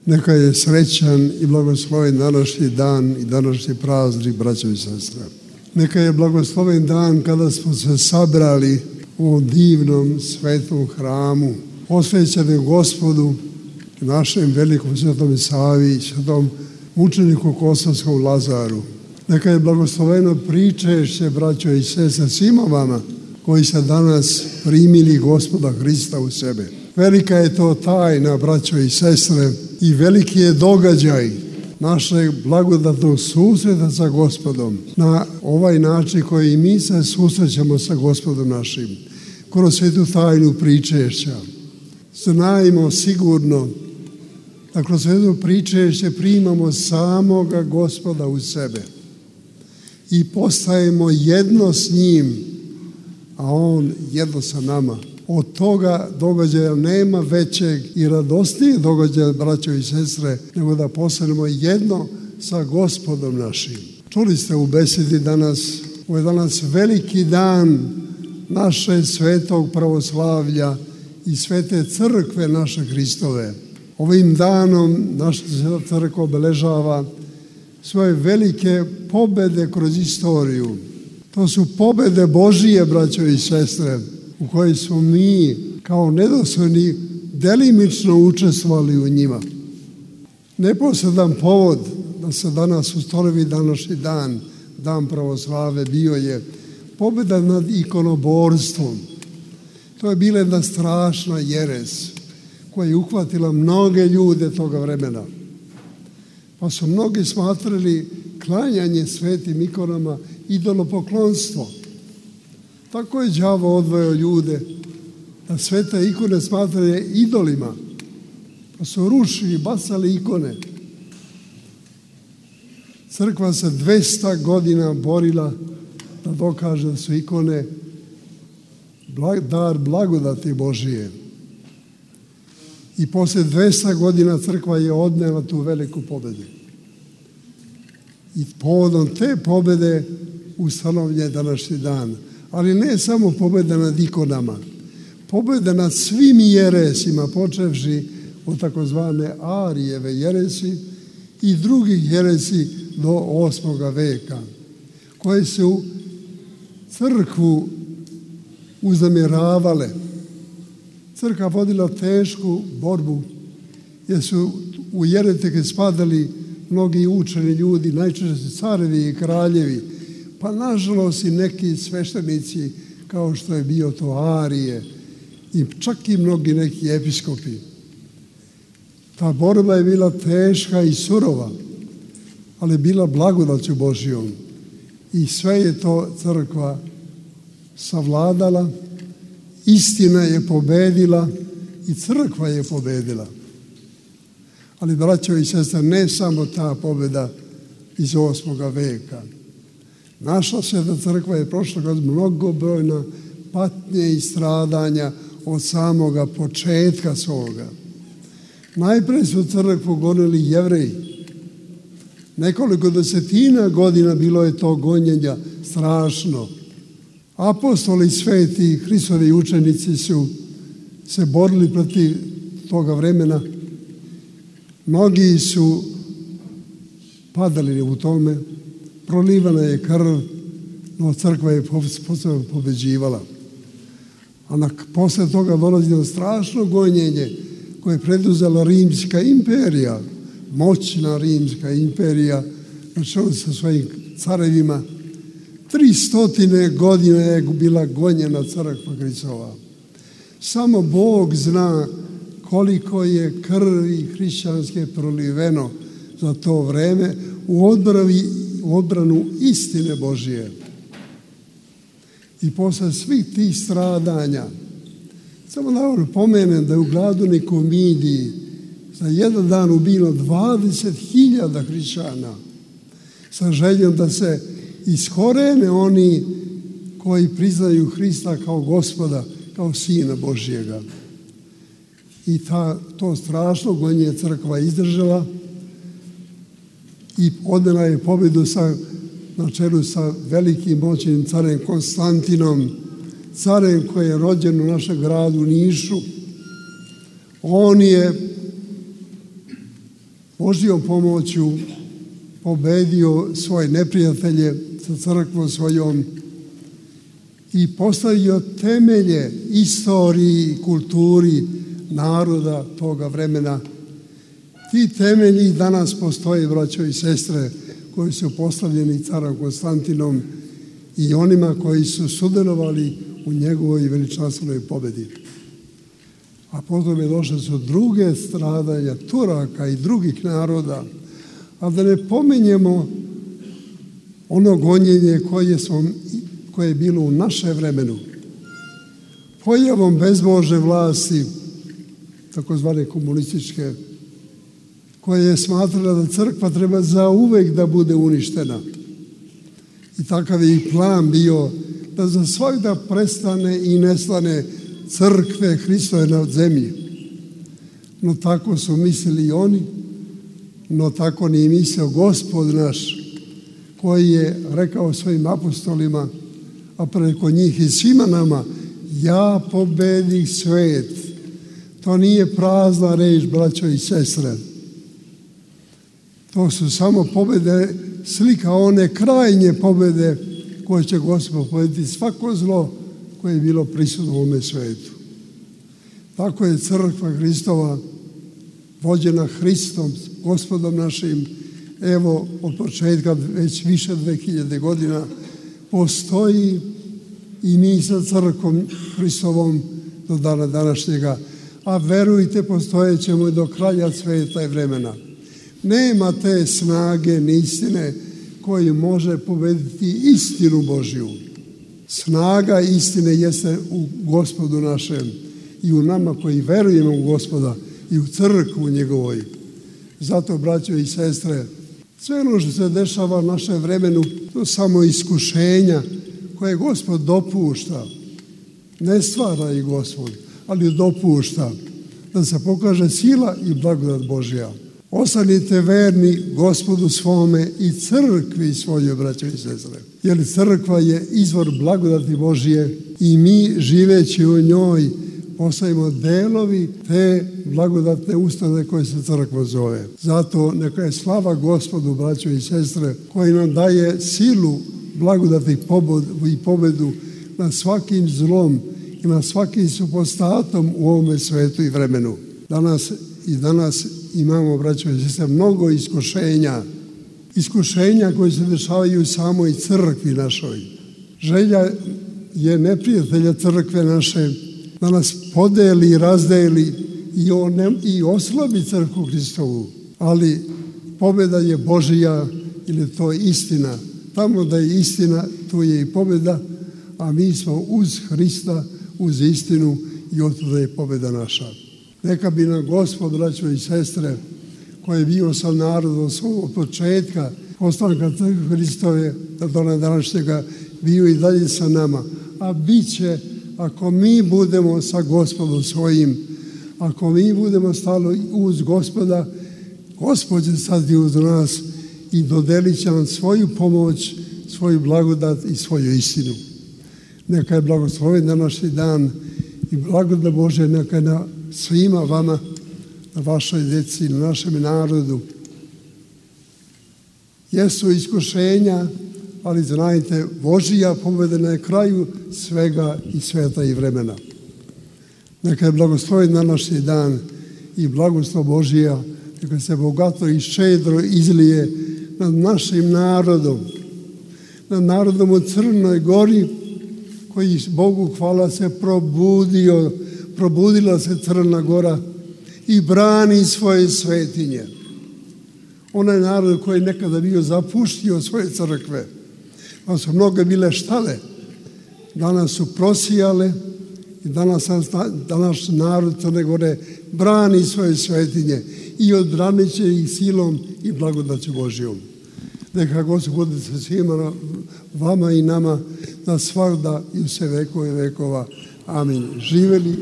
Neka je srećan i blagosloven današnji dan i današnji praznik, braćo i sestre. Neka je blagosloven dan kada smo se sabrali u ovom divnom svetom hramu, posvećenom Gospodu, našem velikom svetom Savi, svetom mučeniku Kosovskom Lazaru. Neka je blagosloveno pričešće, braćo i sestre, svima vama koji ste danas primili Gospoda Hrista u sebe. Velika je to tajna, braćo i sestre, i veliki je događaj našeg blagodatnog susreta sa Gospodom na ovaj način koji mi se susrećemo sa Gospodom našim, kroz svetu tajnu pričešća. Znajmo sigurno da kroz svetu pričešće primamo samoga Gospoda u sebe i postajemo jedno s njim, a on jedno sa nama. Od toga događaja nema većeg i radosnijeg događaja, braćo i sestre, nego da postanemo jedno sa Gospodom našim. Čuli ste u besedi danas, ovo je danas veliki dan naše svetog pravoslavlja i svete crkve naše Hristove. Ovim danom naša sveta crkva obeležava svoje velike pobede kroz istoriju. To su pobede Božije, braćo i sestre, u kojoj smo mi kao nedostojni delimično učestvovali u njima. Neposredan povod da se danas ustanovi današnji dan, dan pravoslave, bio je pobeda nad ikonoborstvom. To je bila jedna strašna jeres koja je uhvatila mnoge ljude toga vremena. Pa su mnogi smatrali klanjanje svetim ikonama idolopoklonstvo. Tako je đavo odvojao ljude da svete ikone smatraju idolima. Pa su rušili, bacali ikone. Crkva se 200 godina borila da dokaže da su ikone dar blagodati Božije. I poslije 200 godina crkva je odnela tu veliku pobedu. I povodom te pobede ustanovljen je današnji dan. Ali ne samo pobjeda nad ikonama, pobjeda nad svim jeresima, počevši od takozvane Arijeve jeresi i drugih jeresi do 8. veka, koje su crkvu uznemiravale. Crkva vodila tešku borbu, jer su u jeretike spadali mnogi učeni ljudi, najčešće carevi i kraljevi, pa nažalost i neki sveštenici kao što je bio to Arije i čak i mnogi neki episkopi. Ta borba je bila teška i surova, ali bila blagodaću Božijom i sve je to crkva savladala, istina je pobedila i crkva je pobedila. Ali, braćo i sestre, ne samo ta pobjeda iz 8. veka. Naša sveta crkva je prošla kroz mnogobrojna patnje i stradanja od samoga početka svoga. Najprije su crkvu gonili Jevreji. Nekoliko desetina godina bilo je to gonjenja strašno. Apostoli sveti, Hristovi učenici su se borili protiv toga vremena. Mnogi su padali u tome, prolivana je krv, no crkva je pobeđivala. A posle toga dolazi na strašno gonjenje koje je preduzela Rimska imperija, moćna Rimska imperija, na čelu sa svojim carevima. 300 godina je bila gonjena crkva Hristova. Samo Bog zna koliko je krvi hrišćanske proliveno za to vreme u odbranu istine Božije. I posle svih tih stradanja, samo da pomenem da je u Gladuniku Midiji za jedan dan ubilo 20.000 hrišćana sa željom da se iskorene oni koji priznaju Hrista kao Gospoda, kao Sina Božjega. I to strašno gonjenje crkva izdržala i odnela je pobjedu na čelu sa velikim moćnim carem Konstantinom, carem koji je rođen u našem gradu Nišu. On je Božjom pomoću pobedio svoje neprijatelje sa crkvom svojom i postavio temelje istoriji i kulturi naroda toga vremena. Ti temelji danas postoje, braćo i sestre, koji su postavljeni carom Konstantinom i onima koji su sudjelovali u njegovoj veličanstvenoj pobedi. A potom je došle su druge stradanja Turaka i drugih naroda, a da ne pominjemo ono gonjenje koje je bilo u naše vremenu. Pojavom bezbožne vlasti, takozvane komunističke, koja je smatrala da crkva treba zauvek da bude uništena. I takav je i plan bio da za svakda prestane i nestane crkve Hristove na zemlji. No tako su mislili i oni, no tako nije mislio Gospod naš, koji je rekao svojim apostolima, a preko njih i svima nama, ja pobedih svet. To nije prazna reč, braćo i sestre. To su samo pobede, slika one krajnje pobede koje će Gospod pobediti svako zlo koje je bilo prisutno u ovome svetu. Tako je crkva Hristova, vođena Hristom, Gospodom našim, evo od početka već više 2000 godina postoji i mi sa crkvom Hristovom do dana današnjega, a verujte, postojećemo i do kraja sveta i vremena. Nema te snage ni istine koji može pobediti istinu Božju. Snaga istine jeste u Gospodu našem i u nama koji verujemo u Gospoda i u crkvu njegovoj. Zato, braćo i sestre, sve ono što se dešava u našem vremenu, to samo iskušenja koje Gospod dopušta. Ne stvara ih Gospod, ali dopušta da se pokaže sila i blagodat Božja. Ostanite verni Gospodu svome i crkvi svojoj, braćo i sestre. Jer crkva je izvor blagodati Božje i mi, živeći u njoj, postajemo delovi te blagodatne ustanove koje se crkva zove. Zato neka je slava Gospodu, braćo i sestre, koji nam daje silu, blagodati i pobedu nad svakim zlom i nad svakim supostatom u ovome svetu i vremenu. Danas imamo, braćo i sestre, mnogo iskušenja koje se dešavaju u samoj crkvi našoj. Želja je neprijatelja crkve naše da nas podeli i razdeli i oslabi crkvu Hristovu. Ali pobjeda je Božija, ili je to istina. Tamo da je istina, tu je i pobjeda, a mi smo uz Hrista, uz istinu i otuda je pobjeda naša. Neka bi nam Gospod, braćo i sestre, koji je bio sa narodom od početka postanka crkve Hristove do dana današnjega, bio i dalje sa nama. A bit će, ako mi budemo sa Gospodom svojim, ako mi budemo stali uz Gospoda, Gospod će stati uz nas i dodelit će nam svoju pomoć, svoju blagodat i svoju istinu. Neka je blagosloven današnji dan i blagodat Božja neka je na svima vama, na vašoj djeci, na našem narodu. Jesu iskušenja, ali znajte, Božija pobjeda na kraju svega i sveta i vremena. Neka je blagosloven današnji dan i blagoslov Božija, neka se bogato i ščedro izlije nad našim narodom, nad narodom u Crnoj Gori, koji Bogu hvala se probudila se Crna Gora i brani svoje svetinje. Onaj narod koji je nekada bio zapuštio svoje crkve, pa su mnoge bile štale, danas su prosijale i danas narod Crne Gore brani svoje svetinje i odbranit će ih silom i blagodaću Božjom. Neka Gospod bude sa svima vama i nama na svakda i u sve vekove vekova. Amin. Živeli